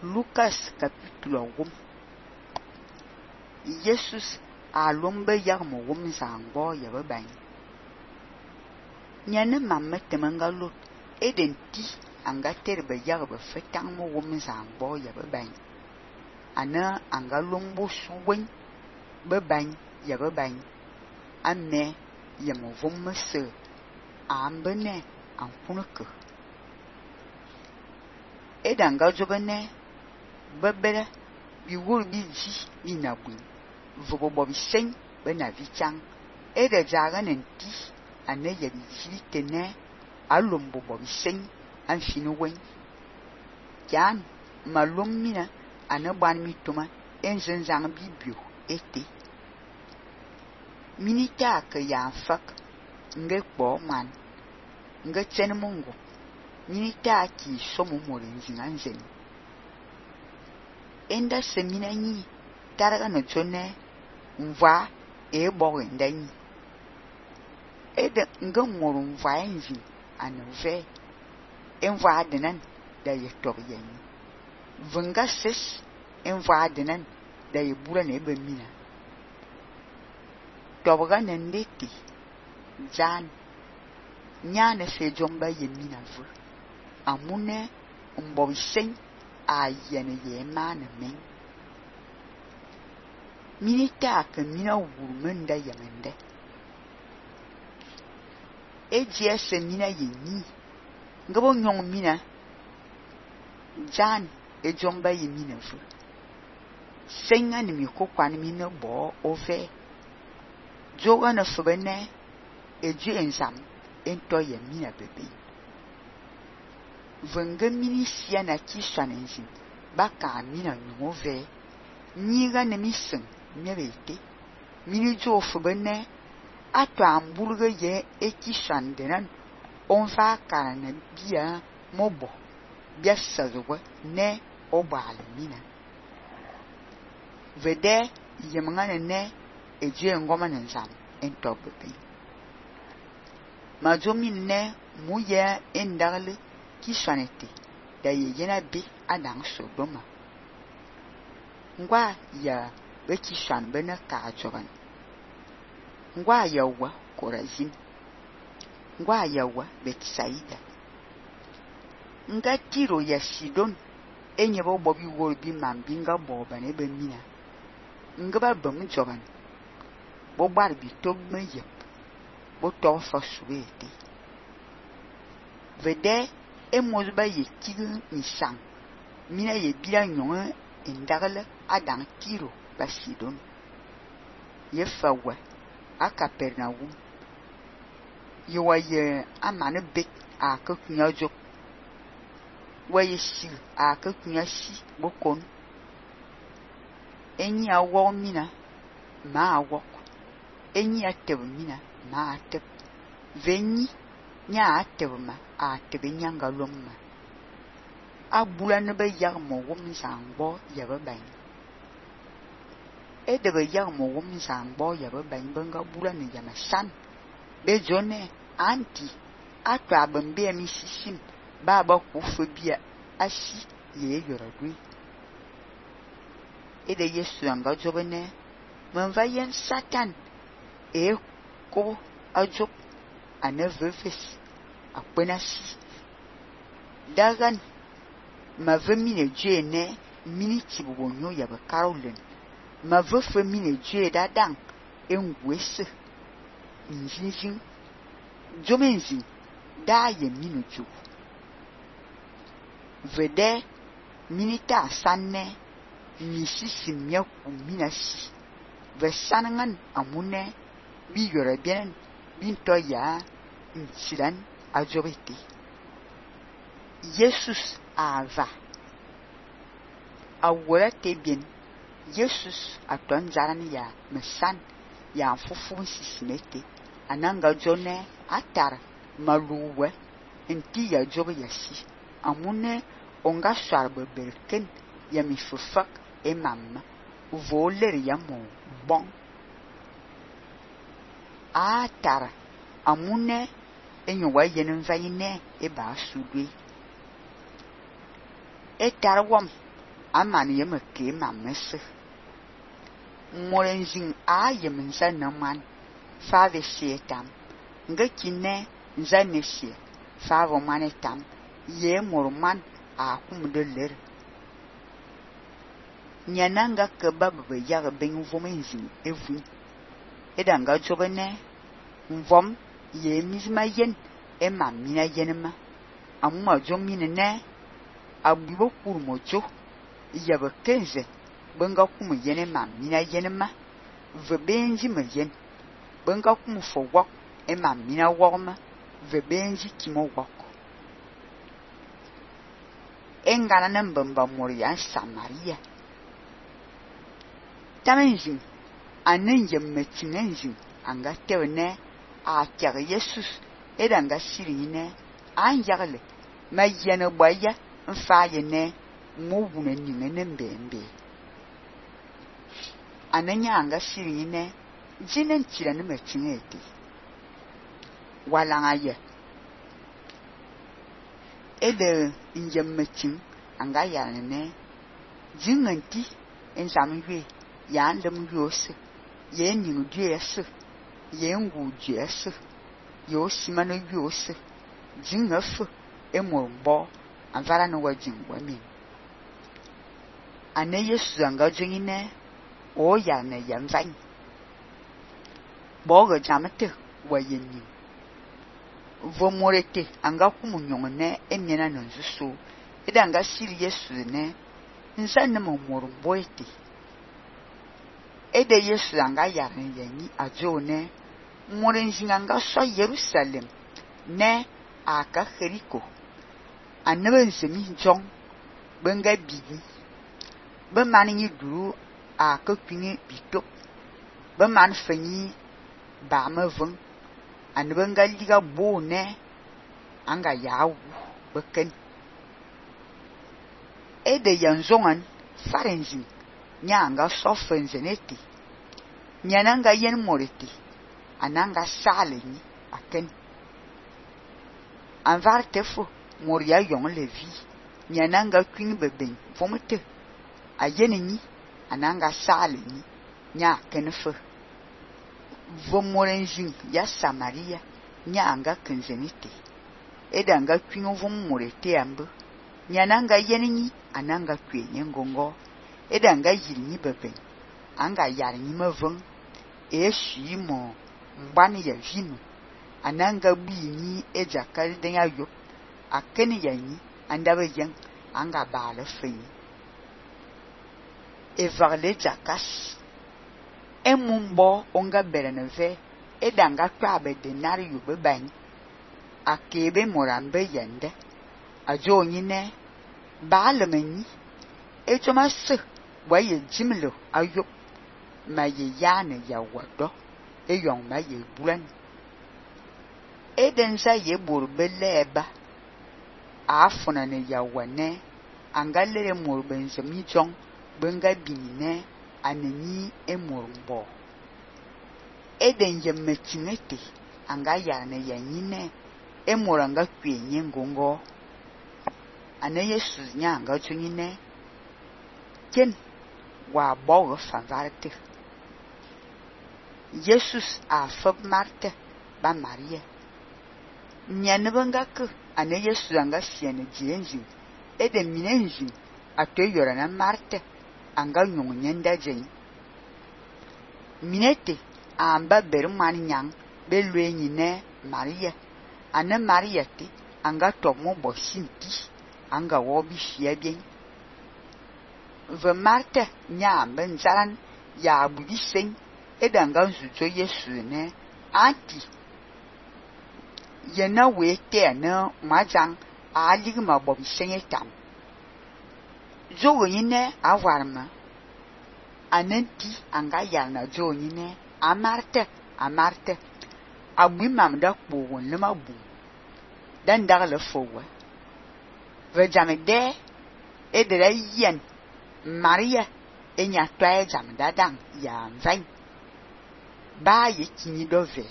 Lucas capítulo 1. Jesus a lombe yag mo wom zangbo ya baban. Nyane mamme temanga lot eden ti anga terbe yag be fetang mo wom zangbo ya baban. Ana anga lombo suwen baban ya baban. Amme ya mo vom se ambene anfuneke. Edanga jobene babere bi wul bi ji bi na bun vobo bobi sen be na vichang ede jagan enti ane ya bi ji tene alombo bobi sen an finu wen jan malom mina ane ban mi toma enzen zang bi bio ete minita ke ya fak nge kpo man nge chen mongo minita ki somo morin zinanzen enda semina ni taraga no chone mva e boge ndani ede ngomoro mva enzi anove enva adenan da ye toyen vunga ses enva adenan da ye bura ne be mina tobaga nendeti jan nyane se jomba ye mina vu amune mbobi sen a yene ye mana men minita ke mina wurmenda yamende eje se mina ye ni ngabo nyong mina jan e jomba ye mina fu senga ni mi ko kwan mi no bo ove joga na fubene eje ensam ento ye mina bebe venga mini sia na kishanenzi baka mina nyove niga ne misen nyebete mini jo fubene atwa amburga ye ekishandenan onfa kana bia mobo bia sazowa ne obal mina vede yemngane ne eje ngoma nzam ento bebe majomi ne muye endale kishanete da yena bi adang sodoma ngwa ya be kishan bena ka jogan ngwa ya wa korazin ngwa ya wa betsaida nga tiro ya sidon enye bo bobi wol bi mambinga boba ne be mina nga ba bam jogan bo bar bi togme yep bo to fa suwete vede emozba ye kigu nisang mina ye bila nyonga indagala adang tiro basidon ye fawa akapernaum ye waye amane bek akakunya jok waye si akakunya si bokon enyi awo mina ma awok enyi ateb mina ma ateb venyi nya atebma atebe nyanga lomma abula ne be yag mo wom zangbo ya baban ede be yag mo wom zangbo ya baban benga bula ne ya masan be jone anti atwa bambe mi sisim baba ku fobia asi ye yoradui ede yesu anga jobene manva yen satan e ko ajok anevefes akpenasi dagan mavemine jene miniti bonyo ya ba Caroline mavefemine je dadang engwese njinjin jomenzi da ye minuju vede minita sanne misisi myaku minasi vesanangan amune bi yore bien binto ya insidan ajobeti Jesus ava awora tebien Jesus aton zarani ya mesan ya fufu sisimete ananga jone atar maluwe enti ya jobe yasi amune onga sharbe berken ya mifufak emam voler ya mo bon atar amune enyo wa yenen vayine e ba sudwe etarwam aman yem ke mamese morenjin a yem nza na man fa ve shetam nga kinne nza ne she fa vo manetam ye morman a kum de ler nyananga ke babbe ya ben vomenjin evu edanga jobene mvom ye mizma yen e mamina yenma amma jomine ne abubo kurmojo yaba kenze benga kum yene mamina yenma ve benji me yen benga kum fo wok e mamina wokma ve benji kimo wok engana nambamba moria Samaria tamenjin anen yemmetinenjin anga tewne a kyar Jesus edanga sirine an yagle mayene boya mfaye ne mowune nyingene mbembe ananya anga sirine jinen tirane metinete walanga ye ede yemmetin anga yarne jinganti ensamwe yandem yose ye ning duese ye ngu duese yo simano yose jingafu emorbo anvara no wajingwa mi ane Yesu anga jingine o ya ne yamvan bogo jamate wayenni vomorete anga kumunyongene emyena nonzuso edanga siri Yesu ne nsanne momorbo ete ede Yesu anga yarne yanyi ajone morenjinga anga so Jerusalem ne aka Jericho anebe nsemi jong benga bibi be mani du aka kwini bito be man fanyi ba mavun anebe nga liga bo ne anga yawu beken ede yanzongan farenjin nyanga sofenzeneti nyananga yen moreti ananga saleni aken anvar tefo moria yong levi nyananga kwin beben fomete ayeneni ananga saleni nya kenfo vomorenjin ya Samaria nyanga kenzeniti edanga kwin vomorete ambu nyananga yeneni ananga kwenye ngongo edanga yirni beben anga yarni mavun eshimo mbani ya vino ananga bini ejakari den ayo akeni yanyi andabe yang anga bala feni evarle jakas emumbo onga bereneve edanga kwabe denario beban akebe morambe yende ajo nyine baalemenyi ejomasse waye jimlo ayo maye yana ya wado eyong maye bulan edenza ye borbeleba afuna ne ya wane angalere morbenze mijong benga binine aneni emorbo eden yemetinete anga yana yanyine emoranga kwenye ngongo ane Yesu nyanga tunyine ken wa bogo fanvarte Jesus a fab Marte ba Maria nyanebanga ke ane Yesu anga siene jenji ede minenji atoyora na Marte anga nyonyenda jen minete amba berman nyang belwenyi ne Maria ane Maria ti anga tomo bosinti anga wobi shiebien ve Marte nya benzaran ya budisen edanga nzuzo Yesu ne anti yena wete na majang aligma bobi senyetam jogo ne awarma anenti anga yana jo ne amarte abimam da kpowon le mabu dan dagle fowa ve jamede edere yen Maria enya toye jamda dan ya mvan ba ye kini dove